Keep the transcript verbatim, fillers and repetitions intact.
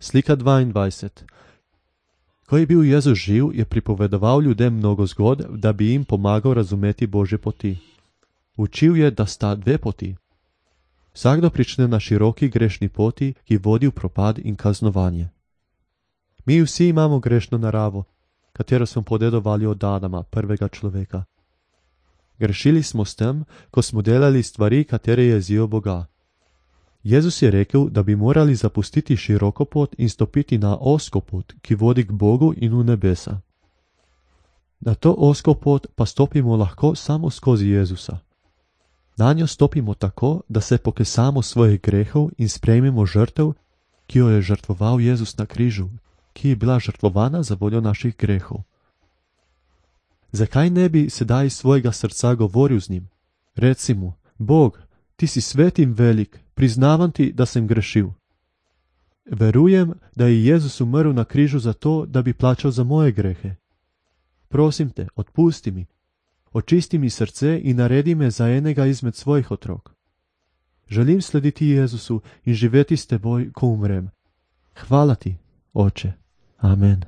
Slika dvaindvajset. Ko je bil Jezus živ, je pripovedoval ljudem mnogo zgodb, da bi jim pomagal razumeti Božje poti. Učil je, da sta dve poti. Vsakdo prične na široki grešni poti, ki vodi v propad in kaznovanje. Mi vsi imamo grešno naravo, katero smo podedovali od Adama, prvega človeka. Grešili smo s tem, ko smo delali stvari, katere jezijo Boga. Jezus je rekel, da bi morali zapustiti široko pot in stopiti na ozko pot, ki vodi k Bogu in v nebesa. Na to ozko pot pa stopimo lahko samo skozi Jezusa. Na njo stopimo tako, da se pokesamo svojih grehov in sprejmemo žrtev, ki jo je žrtvoval Jezus na križu, ki je bila žrtvovana za voljo naših grehov. Zakaj ne bi sedaj iz svojega srca govoril z njim? Reci mu: Bog, ti si svet in velik, priznavam ti, da sem grešil. Verujem, da je Jezus umrl na križu zato, da bi plačal za moje grehe. Prosim te, odpusti mi, očisti mi srce in naredi me za enega izmed svojih otrok. Želim slediti Jezusu in živeti s teboj, ko umrem. Hvala ti, Oče. Amen.